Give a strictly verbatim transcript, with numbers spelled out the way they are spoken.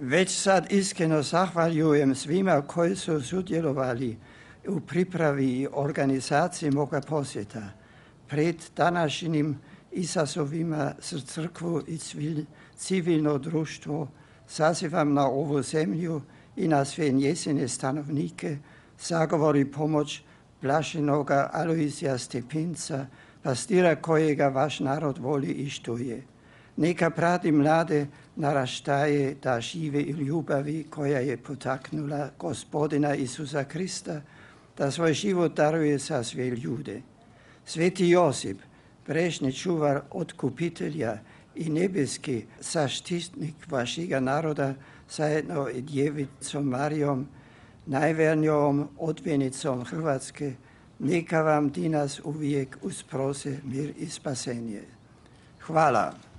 Već sad iskreno zahvaljujem svima koji su sudjelovali u pripravi i organizaciji moga posjeta. Pred današnjim izazovima za crkvu i civilno društvo sazivam na ovu zemlju i na sve njezine stanovnike zagovor i pomoć blaženoga Alojzija Stepinca, pastira kojega vaš narod voli i štuje. Neka prati mlade naraštaje da žive i ljubavi koja je potaknula Gospodina Isusa Krista, da svoj život daruje za sve ljude. Sveti Josip, brežni čuvar otkupitelja i nebeski zaštitnik vašega naroda, zajedno i djevicom Marijom, najvernijom odvjenicom Hrvatske, neka vam dinas uvijek usprose mir i spasenje. Hvala.